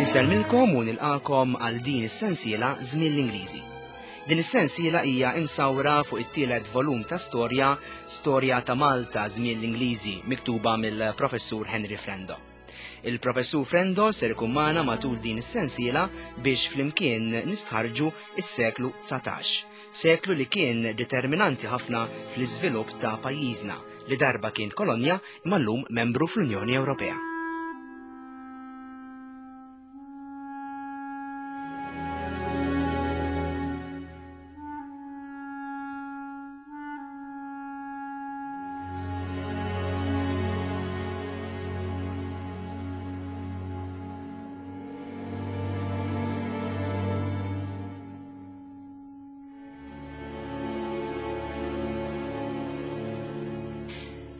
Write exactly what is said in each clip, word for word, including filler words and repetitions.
Insellmilkom u nilqakom għal din is-sensiela Żmien l-Ingliżi. Din is-sensiela hija imsawra fuq it-tielet volum ta' storja, Storja ta' Malta Żmien l-Ingliżi, miktuba mill-Professur Henry Frendo. Il-Professur Frendo ser ikun magħna matul din is-sensiela biex flimkien nistħarġu is-seklu dsatax, seklu li kien determinanti ħafna fl-iżvilupp ta' pajjiżna li darba kien kolonja imma llum membru fl-Unjoni Ewropea.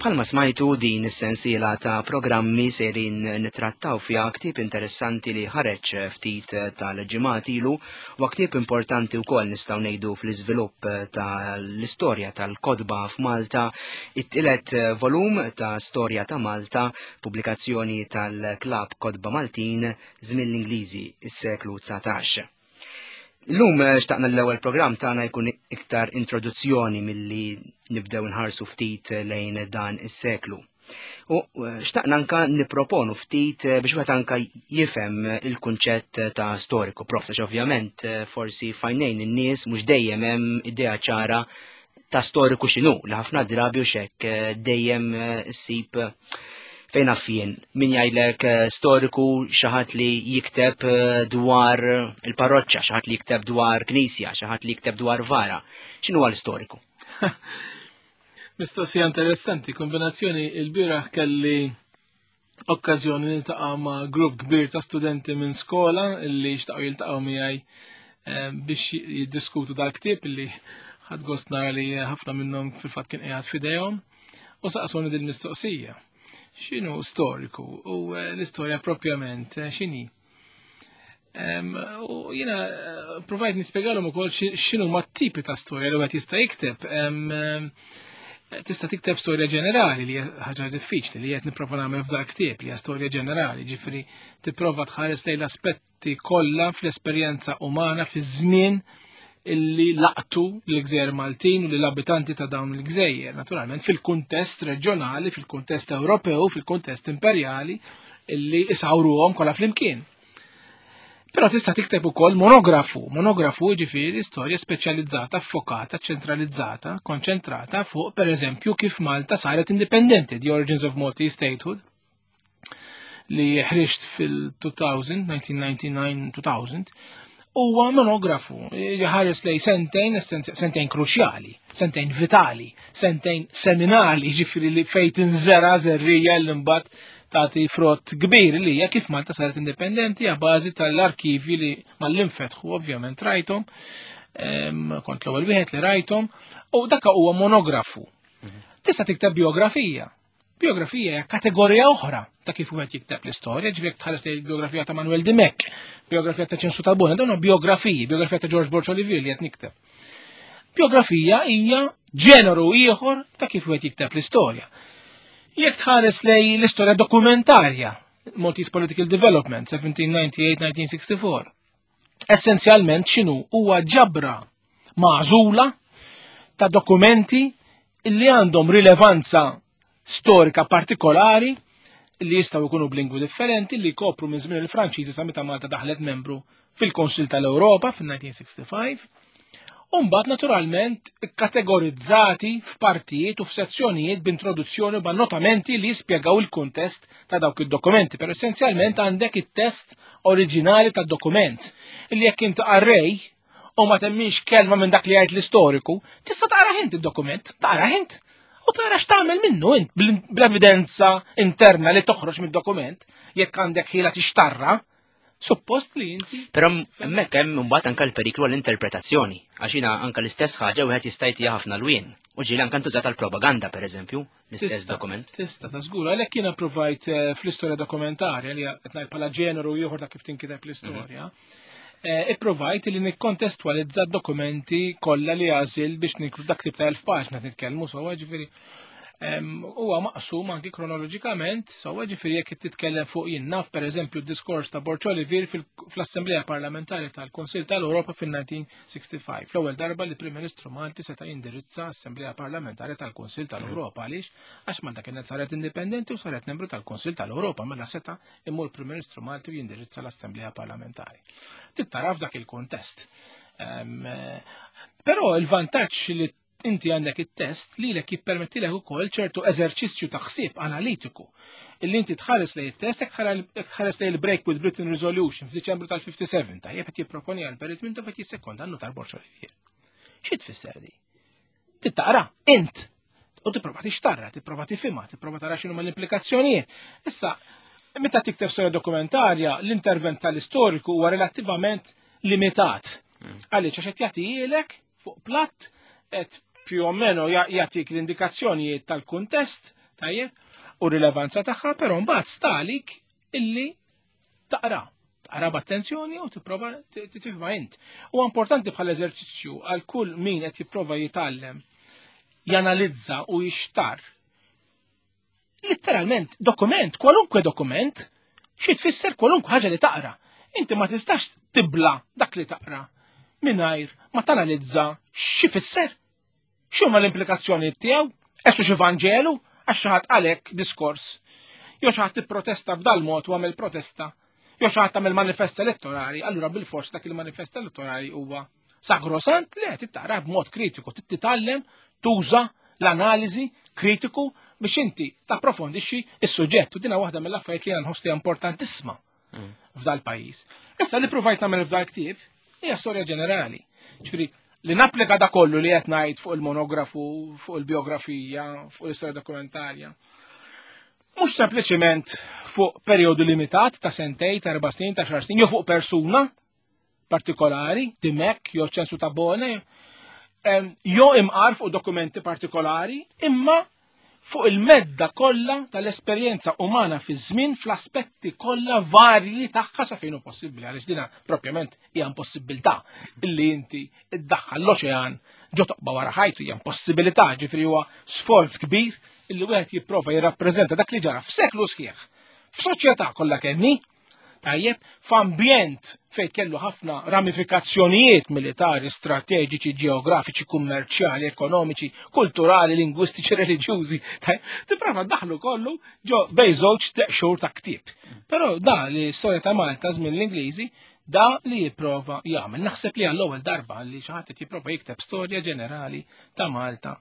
Bħalma smajtu din is-sensiela ta' programmi serin nitrattaw fiha ktieb interessanti li ħareġ ftit tal-ġimgħat ilu u ktieb importanti wkoll nistgħu ngħidu fl-iżvilupp tal-istorja tal-kotba f'Malta, it-tielet volum ta' Storja ta' Malta, pubblikazzjoni tal-Klabb Kotba Maltin Żmien l-Ingliżi, is-seklu dsatax. Illum xtaqna l-ewwel programm tagħna jkun iktar introduzzjoni milli nibdew nħarsu ftit lejn dan is-seklu. U xtaqna anka nipproponu ftit biex wieħed anka jifhem il-kunċett ta' storiku, prof, għax ovvjament forsi fajnejn in-nies mhux dejjem hemm idea ċara ta' storiku x'inhu, li ħafna drabi u xekk dejjem issib fejn affien, min jgħidlek storiku xi ħadd li jikteb dwar il-parroċċa, xi ħadd li jikteb dwar knisja, xi ħadd li jikteb dwar vara. X'inhu għal storiku? Mistoqsija interessanti, kombinazzjoni il-bieraħ kelli okkażjoni niltaqa' ma' grupp kbir ta' studenti minn skola li xtaqgħu jiltaqgħu miegħi biex jiddiskutu dal-ktieb li ħadd gost nara li ħafna minnhom fil-fatt kien qiegħed f'idejhom u saqsuni din mistoqsija. X'inhu storiku u l-istorja propjament x'inhi? U jiena provajt nispjegalhom ukoll x'inhu ma tipi ta' storja li wieħed jista' jikteb. Tista' tikteb storja ġenerali li hija ħaġa diffiċli li qed nipprova nagħmel f'dak ktieb li hija storja ġenerali, ġifieri tipprova tħares lejn l-aspetti kollha fl-esperjenza umana fiż-żmien illi laqtu l-gżejjer Maltin u l-abitanti ta' dawn il-gżejjer, naturalment fil-kuntest reġjonali, fil-kuntest Ewropew, fil-kuntest imperjali illi isawruhom kollha flimkien. Però tista' tikteb ukoll monografu, monografu jiġifieri storja speċjalizzata, ffokata, ċentralizzata, konċentrata fuq pereżempju kif Malta saret indipendenti, The Origins of Maltese Statehood, li ħriġt fil-two thousand, nineteen ninety-nine two thousand, huwa monografu, ħares lej sentejn, sentejn kruċjali, sentejn vitali, sentejn seminali, ġifieri li fejn tinżera żerrija li mbagħad tagħti frott kbir li hija kif Malta saret indipendenti a bażi tal-arkivi li mal-infetħu ovvjament rajthom, kont l-ewwel wieħed li rajthom, u dak huwa monografu. Tista' tikteb biografija. Biografija hija kategorija oħra ta' kif wieħed jikteb l-istorja, ġifieri jekk tħares lejn biografija ta' Manuel Dimech, biografija ta' Ċensu Tabona, dawn biografiji, biografija ta' George Borg Olivier li qed nikteb. Biografija hija ġeneru ieħor ta' kif wieħed jikteb l-istorja. Jekk tħares lejn l-istorja dokumentarja, Maltese Political Development, seventeen ninety-eight nineteen sixty-four, essenzjalment x'inhu huwa ġabra magħżula ta' dokumenti li għandhom rilevanza storika partikolari li jistgħu jkunu b'lingwi differenti li jkopru minn żmien il-Franċiżi sa meta Malta daħlet membru fil-Konsil tal-Ewropa fil-nineteen sixty-five. U mbagħad naturalment kategorizzati f'partijiet u f'sezzjonijiet b'introduzzjoni u b'annotamenti li jispjegaw il-kuntest ta' dawk id-dokumenti, però essenzjalment għandek it-test oriġinali tad-dokument illi jekk int qarrej u ma temminx kelma minn dak li jgħid l-istoriku, tista' taqra int id-dokument, taqra int u tara x'tagħmel minnu int bl-evidenza interna li toħroġ mid-dokument, jekk għandek ħila tixtarra, suppost li inti. Però hemmhekk hemm imbagħad anke l-periklu għall-interpretazzjoni, għax jiena anke l-istess ħaġa wieħed jista' jtiha ħafna lwien. U ġieli anke ntużat għall-propaganda pereżempju, l-istess dokument. Tista' ta' żgur, għalhekk jiena provajt eh, fl-istorja dokumentarja li qed ngħid bħala ġeneru ieħor ta' kif tinkiteb l-istorja. Eh, ipprovajt li nikkontestwalizza dokumenti kollha li għażil biex nikru dak tip ta' elf paġna nitkellmu sewwa, ġifieri. Huwa maqsum anki kronoloġikament, sewwa, ġifieri jekk titkellem fuq, jien naf, pereżempju d-diskors ta' Borg Olivier fl-Assemblea Parlamentari tal-Kunsill tal-Ewropa fil-elf disa' mija u ħamsa u sittin. L-ewwel darba li Prim Ministru Malti seta' jindirizza Assemblea Parlamentari tal-Kunsill tal-Ewropa. Għaliex? Għax Malta kienet saret indipendenti u saret membru tal-Kunsill tal-Ewropa, mela seta' imur Prim Ministru Malti u jindirizza l-Assemblea Parlamentari. Trid tara f'dak il-kontest. Però il-vantaġġ li inti għandek it-test li lek jippermettilek ukoll ċertu eżerċizzju ta' ħsieb analitiku. Illi inti tħares lejn it-test, jekk tħares lejn il-Break with Britain Resolution f'Diċembru tal-ħamsa u sebgħin, tajjeb, qed jipproponi għal Perit Mintoff, qed jissekonda n-nutar Borg Olivier. Xi tfisser di? Trid taqra int u tipprova tixtarra, tipprova tifhimha, tipprova tara x'inhuma l-implikazzjonijiet. Issa, meta tikteb storja dokumentarja, l-intervent tal-istoriku huwa relattivament limitat. Mm. Għaliex? Għax qed jagħtihielek fuq platt, qed più o meno jagħtik l-indikazzjonijiet tal-kuntest, tajjeb, u rilevanza tagħha, però mbagħad sta għalik illi taqra. Taqra b'attenzjoni u tipprova tifhimha int. U importanti bħal eżerċizzju għal kull min qed jipprova jitgħallem janalizza u jixtar letteralment dokument, kwalunkwe dokument, xi tfisser kwalunkwe ħaġa li taqra. Inti ma tistax tibla dak li taqra mingħajr ma tanalizza xi fisser. X'huma l-implikazzjoni tiegħu? Qisu xi Vanġelu għax xi ħadd għalek diskors. Jew xi ħadd tipprotesta b'dal mod u għamel protesta. Jew xi ħadd għamel manifest elettorali, allura bil-fors dak il-manifest elettorali huwa sagrosant. Le, trid taqra b'mod kritiku, titgħallem tuża l-analiżi kritiku biex inti tapprofondixxi is-suġġett. U dina waħda mill-affarijiet li nħoss li importantissima mm. f'dal pajjiż. Issa, li provajt nagħmel f'dal ktieb hija storja ġenerali. Ġifieri li napplika da kollu li qed ngħid fuq il-monografu, fuq il-biografija, fuq l-istorja dokumentarja. Mhux sempliċiment fuq perjodu limitat ta' sentej, ta' erba' snin, ta' għaxar snin, jew fuq persuna partikolari, Dimech, jew Ċensu Tabone, jew imqar fuq dokumenti partikolari, imma fuq il-medda kollha tal-esperjenza umana fi żmien fl-aspetti kollha varji tagħha sa fejn hu possibbli, għaliex dina propjament hija impossibilità illi inti iddaħħal l-oċean ġo toqba wara ħajtu, hija impossibilità, ġifieri huwa sforz kbir illi wieħed jipprova jirrappreżenta dak li ġara f'seklu sħiħ f'soċjetà kollha kemm, tajjeb, f'ambjent fejn kellu ħafna ramifikazzjonijiet militari, strateġiċi, ġeografiċi, kummerċjali, ekonomiċi, kulturali, lingwistiċi, reliġjużi. Tipprova ddaħħlu kollu ġo bejn żewġ xhur ta' ktieb. Però da li storja ta' Malta żmien l-Ingliżi, da li jipprova jagħmel. Naħseb li għall-ewwel darba li xi ħadd jipprova jikteb storja ġenerali ta' Malta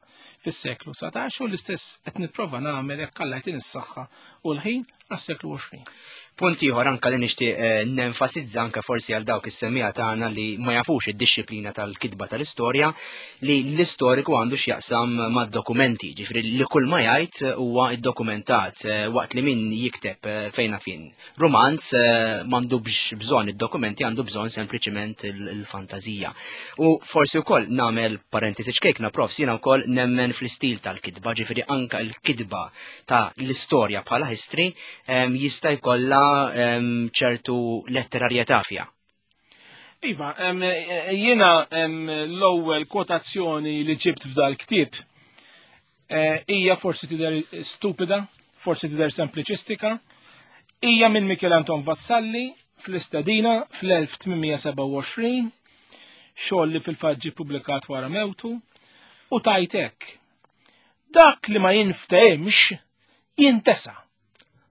fis-seklu dsatax, u l-istess qed nipprova nagħmel, jekk Alla jtini s-saħħa u l-ħin, għas-seklu għoxrin. Punt ieħor anka li nixtieq eh, nenfasizza anka forsi għal dawk is-semmiegħa tagħna li ma jafux id-dixxiplina tal-kitba tal-istorja, li l-istoriku għandu x'jaqsam mad-dokumenti, ġifieri li kull ma jgħid huwa iddokumentat, eh, waqt li min jikteb eh, fejna fin romanz m'għandu bżonn id-dokumenti, għandu bżonn sempliċiment il-fantażija. U forsi wkoll nagħmel parentesi ċkejkna, Profs, jiena wkoll nemmen fl-istil tal-kitba, ġifieri anka l-kitba ta' l-istorja bħala history jista' jkollha ċertu letterarjetà fiha. Iva, jiena l-ewwel kwotazzjoni li ġibt f'dal ktieb eh, hija forsi tidher stupida, forsi tidher sempliċistika, hija minn Michel Anton Vassalli fl-Istedina fl-elf tmien mija u sebgħa u għoxrin, xogħol li fil-fatt ġie publikat wara mewtu, u tajtek: "Dak li ma jinftehimx jintesa."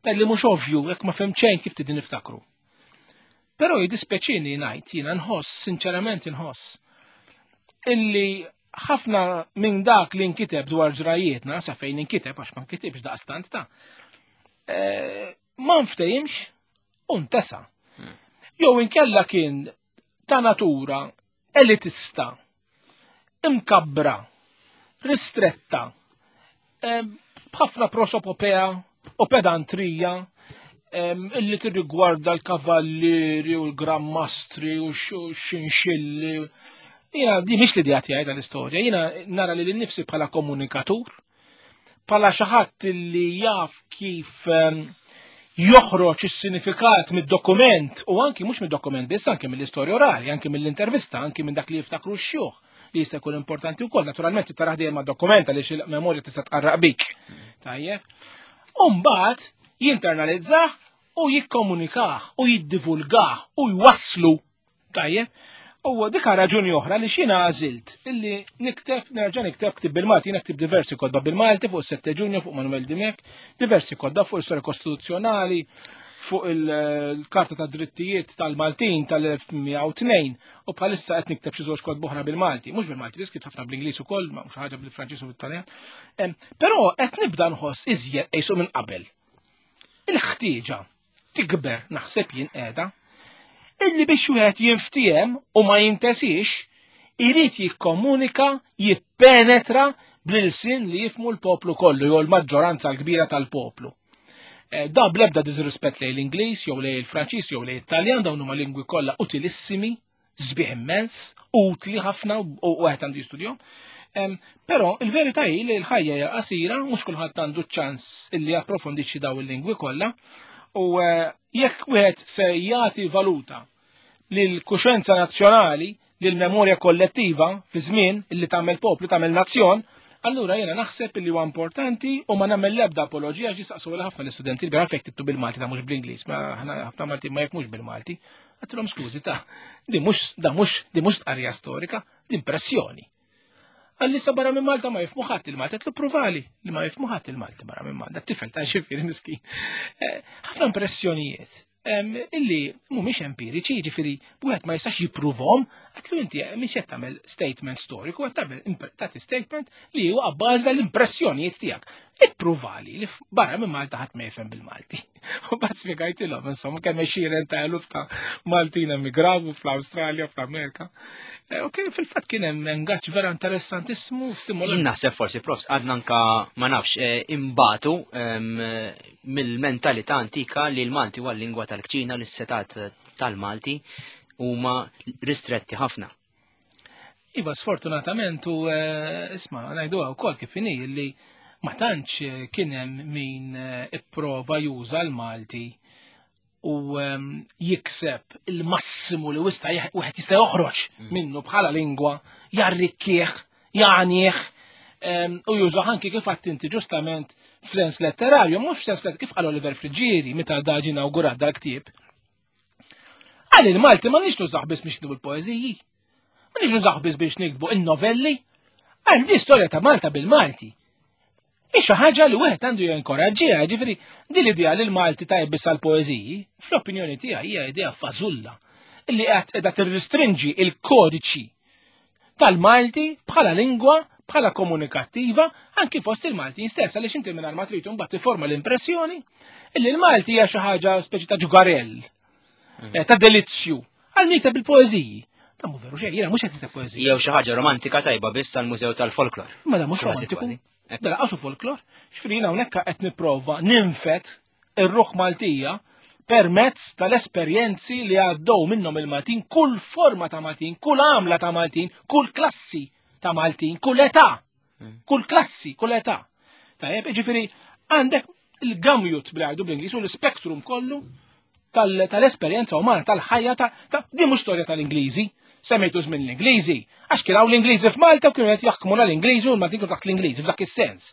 Dak li mhux ovvju, jekk ma fhimt xejn, kif trid niftakru? Però jiddispjaċini ngħid, jiena nħoss, sinċerament inħoss, illi ħafna minn dak li nkiteb dwar ġrajietna, sa fejn inkiteb, għax ma nkitibx daqstant ta' eh, ma nftehimx u ntesa. Hmm. Jew inkella kien ta' natura elitista, imkabbra, ristretta, eh, b'ħafna prosopopea u pedantrija illi tirrigwarda l-kavallieri u l-grammastri u xinxilli. Jiena di mhix l-idea tiegħi tal-istorja, jiena nara lili nnifsi bħala komunikatur, bħala xi ħadd li jaf kif joħroġ is-sinifikat mid-dokument u anki mhux mid-dokument biss, anki mill-istorja orali, anki mill-intervista, anki minn dak li jiftakru x-xjuħ. li jista' jkun importanti wkoll. Naturalment taraħ dejjem ma' dokumenta li il-memorja tista' tqarraq bik. Tajjeb. U mbagħad jinternalizzah u jikkomunikah u jiddivulgah u jwasslu. Tajjeb. U dika raġuni oħra li xina għażilt illi nikteb, nerġa' nikteb ktib bil-Malti, jiena ktib diversi kotba bil-Malti fuq sette Ġunju, fuq Manuel Dimech, diversi kotba fuq l-istorja kostituzzjonali, fuq il-Karta ta' Drittijiet tal-Maltin tal-elf mija u tnejn, u bħalissa qed nikteb xi żewġ kotba oħra bil-Malti, mhux bil-Malti, biss ktibt ħafna bl-Ingliż ukoll, ma mhux ħaġa bil-Franċiż u bil-Taljan. Em, Però qed nibda nħoss iżjed qisu minn qabel. Il-ħtieġa tikber naħseb jien qiegħda illi biex wieħed jinftiehem u ma jintesix, irid jikkomunika, jippenetra bl-ilsien li jifmu l-poplu kollu jew l-maġġoranza l-kbira tal-poplu. Eh, da bl-ebda disrispett lejn l-Ingliż jew lejn il-Franċiż jew lejn it-Taljan, dawn huma lingwi kollha utilissimi, sbieħ immens, utli ħafna u wieħed għandu jistudjahom. Em, Però il-verità hi li l-ħajja hija qasira, mhux kulħadd għandu ċans illi japprofondixxi dawn il-lingwi kollha, u, eh, jekk wieħed se jagħti valuta lill-kuxenza nazzjonali, lill-memorja kollettiva fi żmien illi tagħmel poplu, tagħmel nazzjon, allura jiena naħseb illi huwa importanti u ma nagħmel l-ebda apoloġija għax jistaqsu ħafna l-istudenti li għalfejn ktibtu bil-Malti ta' mhux bl-Ingliż, ma ħna ħafna Malti ma jifhmux bil-Malti. Għedtilhom skużi ta' di mhux, da mhux, di mhux stqarrija storika, di impressjoni. Għalli sa barra minn Malta ma jifhmu ħadd il-Malti, għedtlu pruvali li ma jifhmu ħadd il-Malti barra minn Malta, tifel ta' xifieri miskin. Eh, ħafna impressjonijiet em, illi mhumiex empiriċi, jiġifieri wieħed ma jistax jippruvhom, għedtlu inti mhix qed tagħmel statement storiku, qed tagħmel impre-, tagħti statement li huwa abbażi tal-impressjonijiet tiegħek. Ippruvali li f-, barra minn Malta ħadd ma jifhem bil-Malti. U bad spjegajtilhom insomma kemm għexieren ta' eluf ta' Maltin emigraw fl-Awstralja, fl-Amerika. Eh, u kien fil-fatt kien hemm engaġġ vera interessantissimu, stimolanti. Jien naħseb forsi, profs, għadna anka ma nafx, eh, imbatu, em, mill-mentalità antika li l-Malti huwa l-lingwa tal-kċina, li s-setat tal-Malti huma ristretti ħafna. Iva, sfortunatament, u, eh, isma', ngħiduha wkoll kif inhi li ma tantx, eh, kien hemm min, eh, ipprova juża l-Malti u, ehm, jikseb il-massimu li wista jih-, wieħed jista' joħroġ Mm. minnu bħala lingwa, jarrikkih, jagħnih, ehm, u juża anki kif għedt inti ġustament f'sens letterarju, mhux f'sens letterarju, kif qal Oliver Friggieri meta daġi inawgurat dal-ktieb. Għal il-Malti ma nix nużaħ biss biex niktbu l-poeżiji, ma nix nużaħ biss biex niktbu il-novelli, għal di storja ta' Malta bil-Malti. Hi xi ħaġa li wieħed għandu jinkoraġġiha, ġifieri din l-idea li l-Malti tajjeb biss għall-poeżiji, fl-opinjoni tiegħi hija idea fażulla illi qed qiegħda tirristrinġi il-kodiċi tal-Malti bħala lingwa, bħala komunikattiva, anki fost il-Maltin stess, għaliex inti mingħajr ma trid imbagħad tifforma l-impressjoni illi l-Malti hija xi ħaġa speċi ta' ġugarell, Mm. eh, ta' delizzju, għal min jikteb il-poeżiji. Ta' mhu veru xejn, jiena mhux qed nikteb poeżiji. Jew xi ħaġa romantika tajba biss għall-Mużew tal-Folklor. Ma da mhux Kważi, romantiku. kważi. Da laqasu folklor. Ġifieri jiena hawnhekk qed nipprova ninfet ir-ruħ Maltija permezz tal-esperjenzi li għaddew minnhom il-Maltin, kull forma ta' Maltin, kull għamla ta' Maltin, kull klassi ta' Maltin, kull età, Mm. kull klassi, kull età. Tajjeb, ġifieri għandek il-gamjut bl-għajdu bl-Ingliż u l-spektrum kollu tal-, tal-esperjenza umana, tal-ħajja ta', ta' di mhux storja tal-Ingliżi. Semmejtu żmien l-Ingliżi, għax kien hawn l-Ingliżi f'Malta u kienu qed jaħkmuna l-Ingliżi u l-Maltin kienu taħt l-Ingliżi f'dak is-sens.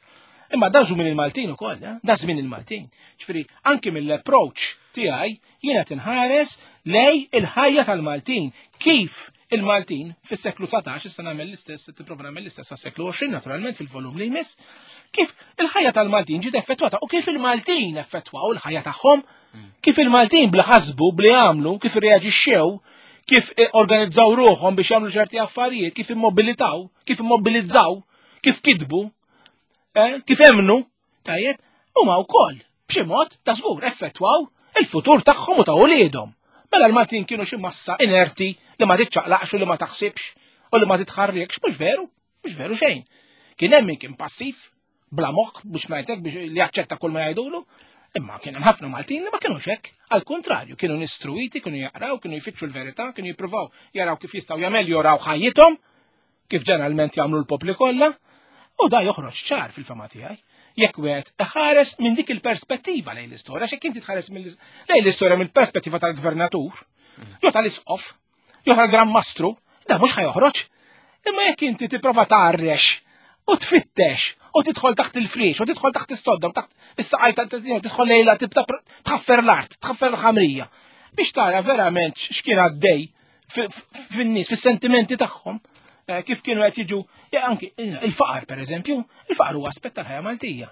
Imma da żmien il-Maltin ukoll, eh? Da żmien il-Maltin. Ġifieri anki mill-approach tiegħi jiena tinħares lej il-ħajja tal-Maltin. Kif il-Maltin fis-seklu dsatax, issa nagħmel l-istess, tipprova nagħmel l-istess għas-seklu għoxrin naturalment fil-volum li jmiss, kif il-ħajja tal-Maltin ġiet effettwata u kif il-Maltin effettwaw il-ħajja tagħhom, kif il-Maltin bla ħasbu, bli għamlu, kif irreaġixxew, kif organizzaw ruħhom biex jagħmlu ċerti affarijiet, kif immobilitaw, kif immobilizzaw, kif kitbu, eh, kif emnu, tajjeb, huma wkoll b'xi mod ta' żgur effettwaw il-futur tagħhom u ta' uliedhom. Mela l-Maltin kienu xi massa inerti li ma tiċċaqlaqx u li ma taħsibx u li ma titħarrikx, mhux veru, mhux veru xejn. Kien hemm min kien passiv, bla moħħ biex ngħidlek biex li jaċċetta kull ma jgħidulu, imma kien hemm ħafna Maltin li ma kinux hekk. Al kontrarju, kienu nistruiti, kienu jaqraw, kienu jfittxu l-verità, kienu jippruvaw jaraw kif jistgħu jameljoraw ħajjithom, kif ġeneralment jagħmlu l-popli kollha, u da joħroġ ċar fil-fama tiegħi. Jekk wieħed iħares minn dik il-perspettiva lejn l-istorja, x'hekk inti tħares mill-, lejn l-istorja mill-perspettiva tal-gvernatur, jew tal-isqof, jew tal-Gran Mastru, da mhux ħajoħroġ. Imma jekk inti tipprova tgħarrex u tfittex u tidħol taħt il-friex u tidħol taħt is-sodda u taħt is-saqaj, tidħol lejla, tibda tħaffer l-art, tħaffer l-ħamrija biex tara verament x'kien għaddej fin-nies, fis-sentimenti tagħhom, eh, kif kienu qed jiġu, anki il-faqar pereżempju, il-faqar huwa aspett tal-ħajja Maltija.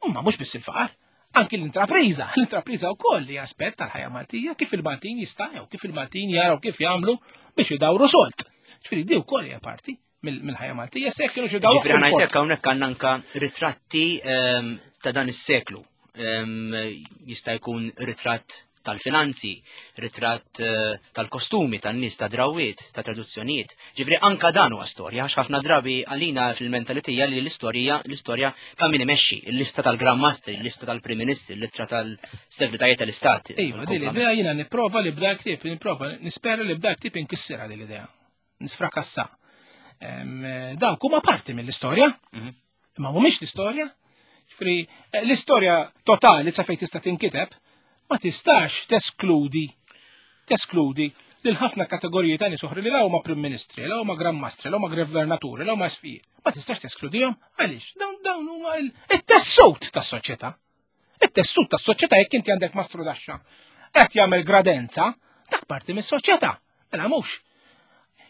Imma mhux biss il-faqar, anki l-intrapriża, l-intrapriża wkoll li aspett tal-ħajja Maltija, kif il-Maltin jistgħu, kif il-Maltin jaraw kif jagħmlu biex idawru solt. Ġifieri di wkoll hija parti mill-ħajja Maltija, se kienu xi dawru. Ġifieri ngħidlek hawnhekk għandna anka ritratti ehm, ta' dan is-seklu. Ehm, jista' jkun ritratt tal-finanzi, ritratt eh, tal-kostumi, tan-nies, ta' drawiet, ta' traduzzjonijiet. Ġifieri anka dan huwa storja, għax ħafna drabi għalina fil-mentalitija li l-istorja l-istorja ta' min imexxi, il-lista tal-Gran Mastri, il-lista tal-Prim Ministri, il-lista tal-Segretarji tal-Istat. Iva, din l-idea jiena nipprova li b'dak ktieb, nipprova nispera li b'dak ktieb inkissirha din l-idea. Nisfrakassa. Dawk huma parti mill-istorja, mhm. imma mhumiex l-istorja. Ġifieri eh, l-istorja totali sa fejn tista' tinkiteb ma tistax teskludi teskludi lil ħafna kategoriji ta' nies oħra li la huma Prim Ministri, la huma Gran Mastri, la huma Gvernaturi, la huma Isqfijiet. Ma tistax teskludihom għaliex dawn dawn huma it-tessut tas-soċjetà. It-tessut tas-soċjetà. Jekk inti għandek mastru daxxa qed jagħmel gradenza, dak parti mis-soċjetà. Mela mhux.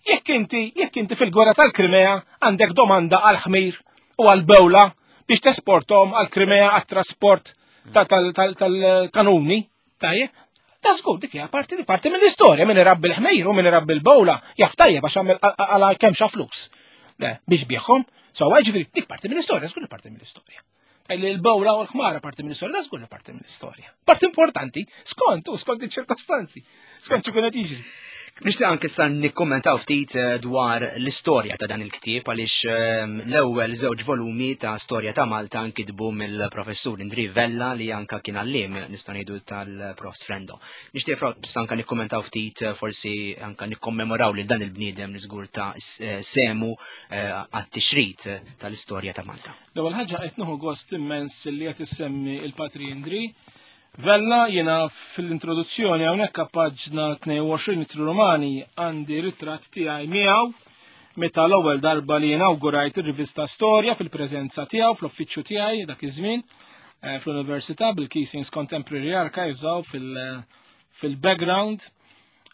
Jekk inti jekk inti fil-gwerra tal-Krimea għandek domanda għal ħmir u għal bewla biex tesportom għal Krimea għat-trasport tal-kanuni, tajjeb, ta' żgur dik hija parti di parti mill-istorja, min irabbi l-ħmejr u min irabbi l-bowla jaf tajjeb għax għamel għala kemm xa flus. Biex bieħhom, so ġifieri dik parti mill-istorja, żgur parti mill-istorja. Il-bowla u l-ħmara parti mill-istorja, da żgur parti mill-istorja. Parti importanti, skont u skont iċ-ċirkostanzi, skont x'ikun qed jiġri. Nixtieq anke issa nikkommentaw ftit eh, dwar l-istorja ta' dan il-ktieb, għaliex ehm, l-ewwel żewġ volumi ta' Storja ta' Malta nkitbu mill-professur Indri Vella, li anka kien għalliem, nistgħu ngħidu, tal-Prof Frendo. Nixtieq anka nikkommentaw ftit, eh, forsi anka nikkommemoraw lil dan il-bniedem li żgur ta eh, semu għat-tixrid tal-istorja ta' Malta. L-ewwel ħaġa, qed nieħu gost immens li qed issemmi il-Patri Indri Vella. Jiena fil-introduzzjoni hawnhekk paġna tnejn u għoxrin Ittri Romani għandi ritratt tiegħi miegħu meta l-ewwel darba li inaugurajt ir-rivista Storja fil-preżenza tiegħu fl-uffiċċju tiegħi dak iż-żmien eh, fl-Università, bil-Keesing's Contemporary Archives fil-background,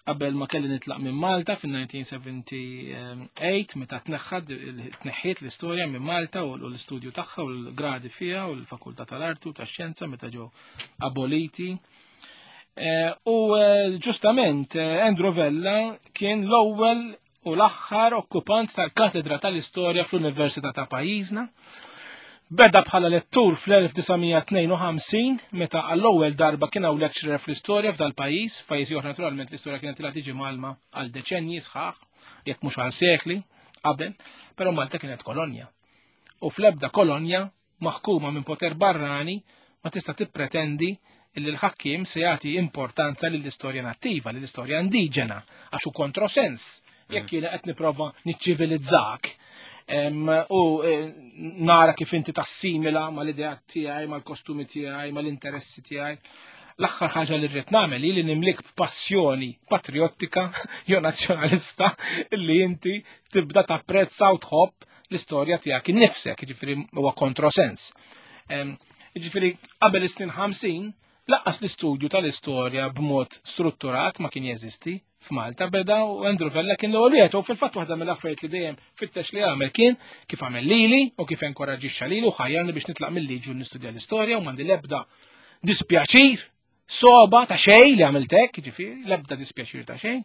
qabel ma kelli nitlaq minn Malta fil-elf disa' mija u sebgħa u sebgħin meta tneħħad tneħħiet l-istorja minn Malta u l-istudju tagħha u l-gradi fiha u l-Fakultà tal-Artu tax-Xjenza meta ġew aboliti. Eh, u eh, ġustament eh, Andrew Vella kien l-ewwel u l-aħħar okkupant tal-Katedra tal-Istorja fl-Università ta' pajjiżna. Beda bħala lettur fl-elf disa' mija u tnejn u ħamsin meta għall-ewwel darba kien hawn lecturer fl-istorja f'dal pajjiż. F'pajjiżi oħra naturalment l-istorja kienet ilha tiġi mgħallma għal deċenji sħaħ, jekk mhux għal sekli qabel, però Malta kienet kolonja. U fl-ebda kolonja maħkuma minn poter barrani ma tista' tippretendi illi l-ħakkim se jagħti importanza lill-istorja nattiva, lill-istorja indiġena, għax hu kontrosens. Jekk jiena qed nipprova niċċivilizzak u e, nara kif inti tassimila mal-idea tiegħi, mal-kostumi tiegħi, mal-interessi tiegħi, l-aħħar ħaġa li rrid nagħmel li nimlik b'passjoni patriottika jew nazzjonalista li inti tibda tapprezza u tħobb l-istorja tiegħek innifsek, jiġifieri huwa kontrosens. Jiġifieri qabel is-snin ħamsin lanqas l-istudju tal-istorja b'mod strutturat ma kien jeżisti f'Malta. Beda u Andrew Vella kien l-ewwel wieħed, u fil-fatt waħda mill-affarijiet li dejjem fittex li għamel kien kif għamel lili u kif enkoraġixxa lili u ħajjarni biex nitlaq mill-liġi u nistudja l-istorja, u m'għandi l-ebda dispjaċir soba ta' xejn li għamilt hekk, ġifieri, l-ebda dispjaċir ta' xejn,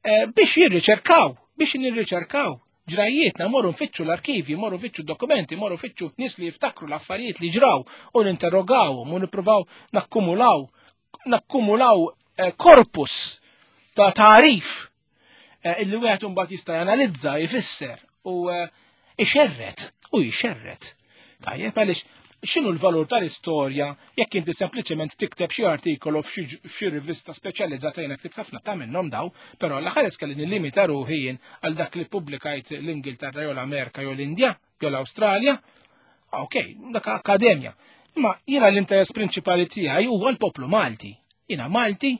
eh, biex jirriċerkaw, biex nirriċerkaw ġrajjietna, morru nfittxu l-arkivi, morru nfittxu dokumenti, morru nfittxu nies li jiftakru l-affarijiet li ġraw u ninterrogawhom u nippruvaw nakkumulaw nakkumulaw eh, korpus ta' tarif eh, illi wieħed imbagħad jista' janalizza, jfisser u eh, ixerret u jxerret. Tajjeb, għaliex x'inhu l-valur tal-istorja jekk inti sempliċement tikteb xi artikolu f'xi rivista speċjalizzata? Jiena ktibt ħafna ta' minnhom daw, però l-aħħar kelli nillimita ruħi jien għal dak li pubblikajt l-Ingilterra jew l-Amerika jew l-Indja jew l-Awstralja. Ok, dak akkademja. Imma jiena l-interess prinċipali tiegħi huwa l-poplu Malti. Jiena Malti,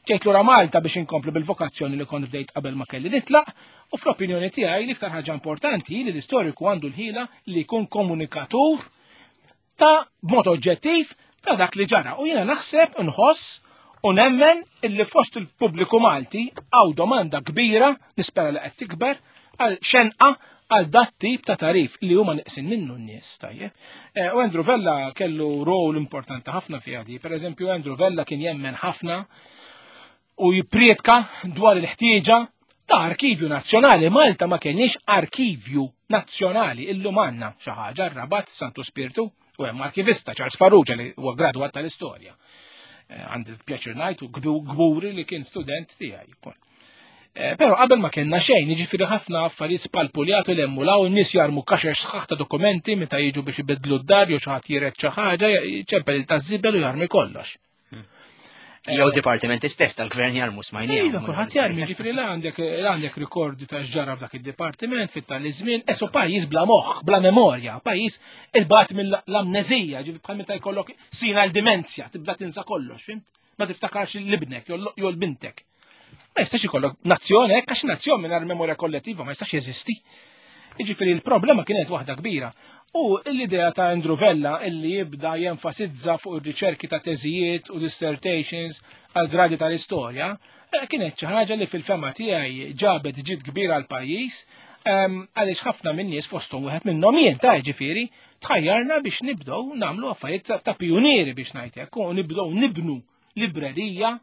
Ġejt lura Malta biex inkomplu bil-vokazzjoni li kont bdejt qabel ma kelli nitlaq, u fl-opinjoni tiegħi l-iktar ħaġa importanti li l-istoriku għandu l-ħila li jkun komunikatur ta' b'mod oġġettiv ta' dak li ġara. U jiena naħseb, nħoss u nemmen illi fost il-pubbliku Malti hawn domanda kbira, nispera li qed tikber, għal xenqa għal dat tip ta' tagħrif li huma neqsin minnu n-nies, tajjeb. Eh, u Andrew Vella kellu rol importanti ħafna fiha di. Per eżempju, Andrew Vella kien jemmen ħafna u jipprietka dwar il-ħtieġa ta' arkivju nazzjonali. Malta ma kienx arkivju nazzjonali, illum għandna xi ħaġa r-Rabat Santu Spirtu u hemm arkivista Charles Farrugia li huwa gradwat tal-istorja. Eh, għandi l-pjaċir ngħid u gburi li kien student tiegħi. Eh, però qabel ma kellna xejn, jiġifieri ħafna affarijiet spalpuljati l hemm law n-nies jarmu kaxex sħaħ ta' dokumenti meta jiġu biex ibidlu d-dar jew xi ħadd jiret xi ħaġa, ċempel il-taż-żibel u jarmi kollox. Hmm. Jew dipartimenti stess tal-gvern jarmu smajni. Iva, kulħadd jarmi, jiġifieri la għandek la għandek rikordi ta' x'ġara f'dak id-dipartiment fit-tali żmien, eso pajjiż bla moħħ, bla memorja, pajjiż il-bat mill-amneżija, ġifieri bħal meta jkollok sina l-dimenzja, tibda tinsa kollox, fhimt? Ma tiftakarx l-ibnek jew l-bintek. Ma jistax ikollok nazzjoni hekk għax nazzjon mingħajr memorja kollettiva ma jistax jeżisti. Jiġifieri l-problema kienet waħda kbira. U l-idea ta' Andrew Vella illi jibda jenfasizza fuq ir-riċerki ta' teżijiet u dissertations għal gradi tal-istorja, eh, kienet xi ħaġa li fil-fema tiegħi ġabet ġid kbir għal pajjiż ehm, għaliex ħafna minn nies fosthom wieħed minnhom jien ta' ġifieri tħajjarna biex nibdew nagħmlu affarijiet ta' pionieri biex ngħid hekk u nibdew nibnu librerija,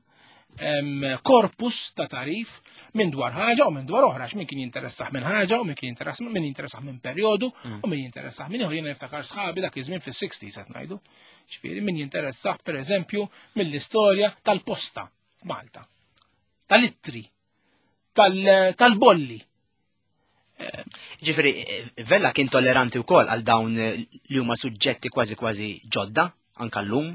korpus ta' tagħrif minn dwar ħaġa u minn dwar oħra, min kien jinteressah minn ħaġa u min kien jinteressah min jinteressah minn perjodu mm. u min jinteressah minn ieħor. Jiena niftakar sħabi dak iż-żmien fis-sixties qed ngħidu. Ġifieri min jinteressah pereżempju mill-istorja tal-posta f'Malta, tal-ittri, tal-bolli. Ġifieri Vella kien tolleranti wkoll għal dawn li huma suġġetti kważi kważi ġodda anka llum.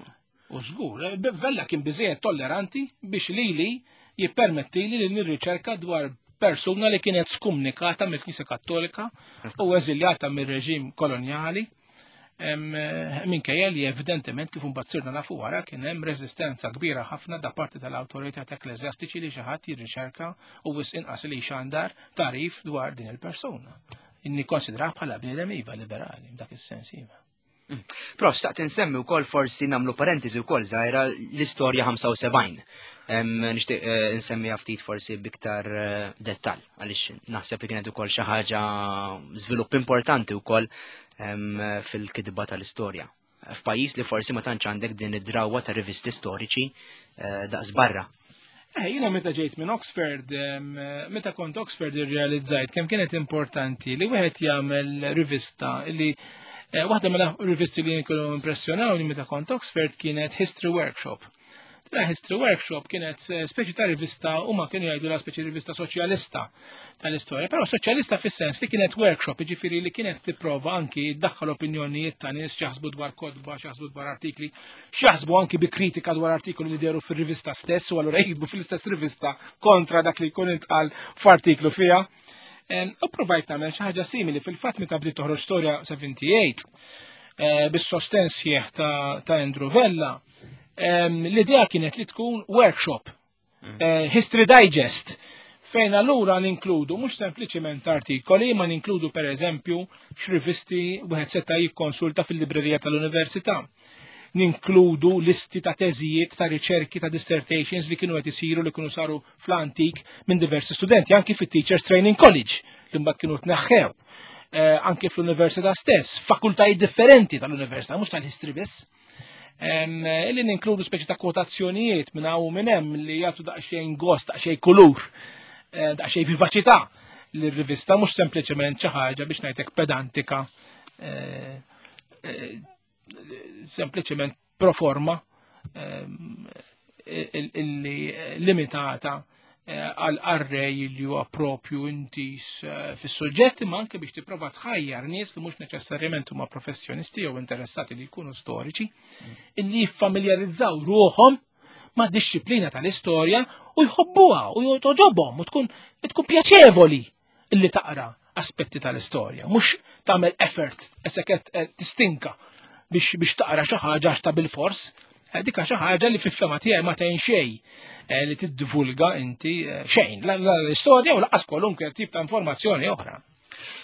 U żgur, Vella kien biżejjed tolleranti biex lili jippermetti li nirriċerka dwar persuna li kienet skumnikata mill-Knisja Kattolika u eżiljata mir-reġim kolonjali. Minkejja li evidentement kif imbagħad sirna nafu wara kien hemm reżistenza kbira ħafna da parti tal-awtoritajiet ekkleżjastiċi li xi ħadd jirriċerka u wisq inqas li xandar tagħrif dwar din il-persuna. Nikkonsidrah bħala bniedem iva liberali f'dak is-sens iva. Mm. Prof, staqt insemmi wkoll forsi nagħmlu parentesi wkoll żgħira l-istorja ħamsa u sebgħin. Nixtieq eh, insemmi ftit forsi biktar eh, dettall għaliex naħseb li kienet ukoll xi ħaġa żvilupp importanti wkoll fil-kitba tal-istorja. F'pajjiż li forsi ma tantx għandek din id-drawwa ta' rivisti storiċi eh, daqs barra. Eh, jiena meta ġejt minn Oxford, meta kont Oxford irrealizzajt kemm kienet importanti li wieħed jagħmel rivista li Eh, waħda mill-rivisti li kienu impressjonawni meta kont Oxford kienet History Workshop. Dina History Workshop kienet eh, speċi ta' rivista u ma kienu jgħidu la speċi rivista soċjalista tal-istorja, però soċjalista fis-sens li kienet workshop, jiġifieri li kienet tipprova anki ddaħħal opinjonijiet ta' nies x'jaħsbu dwar kotba, x'jaħsbu dwar artikli, x'jaħsbu anki bi kritika dwar artikoli li dehru fir-rivista stess u allura jiktbu fl-istess rivista kontra dak li jkun intqal f'artiklu fiha. U provajt nagħmel xi ħaġa simili fil-fatt meta bdiet toħroġ Storja sebgħa u sebgħin eh, bis-sosten sħiħ ta' Andrew Vella. L-idea kienet li tkun workshop, mm. eh, History Digest, fejn allura ninkludu mhux sempliċiment artikoli, ma ninkludu per eżempju x'rivisti wieħed seta' jikkonsulta fil-librerija tal-università. Ninkludu listi ta' teżijiet, ta' riċerki, ta' dissertations li kienu qed isiru li kienu saru fl-antik minn diversi studenti, anki fit-Teachers Training College li mbagħad kienu tneħħew. Eh, anki fl-università stess, fakultajiet differenti tal-università, mhux tal-history biss. Illi ninkludu speċi ta' kwotazzjonijiet minn hawn u minn hemm li jagħtu daqsxejn gost, daqsxejn kulur, eh, daqsxejn vivaċità lir-rivista, mhux sempliċement xi ħaġa biex ngħidlek pedantika, eh, sempliċement pro forma illi limitata għal qarrej li huwa propju intis fis-suġġett, imma anke biex tipprova tħajjar nies li mhux neċessarjament huma professjonisti jew interessati li jkunu storiċi, illi jiffamiljarizzaw ruħhom ma' disċiplina tal-istorja u jħobbuha u toġobhom u tkun tkun pjaċevoli illi taqra aspetti tal-istorja, mhux tagħmel effort eseket tistinka biex biex taqra xi ħaġa għax ta' bil-fors. Dik xi ħaġa li fil-fehma tiegħi ma tgħin xejn li tiddivulga inti xejn, l-istorja u lanqas kwalunkwe tip ta' informazzjoni oħra.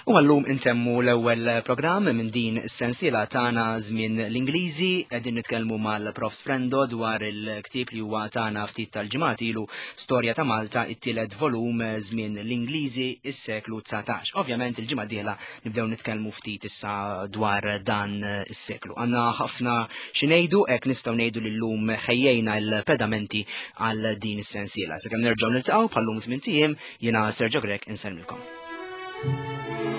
U għallum intemmu l-ewwel programm minn din is-sensiela tagħna Żmien l-Ingliżi. Qegħdin nitkellmu mal-Profs Frendo dwar il-ktieb li huwa tagħna ftit tal-ġimgħat ilu, Storja ta' Malta, it-tielet volum, Żmien l-Ingliżi, is-seklu dsatax. Ovvjament il-ġimgħa dieħla nibdew nitkellmu ftit issa dwar dan is-seklu. Għandna ħafna xi ngħidu, hekk nistgħu ngħidu li llum ħejjejna l-pedamenti għal din is-sensiela. Sakemm nerġgħu niltaqgħu bħallum tmien ijiem, jiena Sergio Grech insellmilkom. Thank you.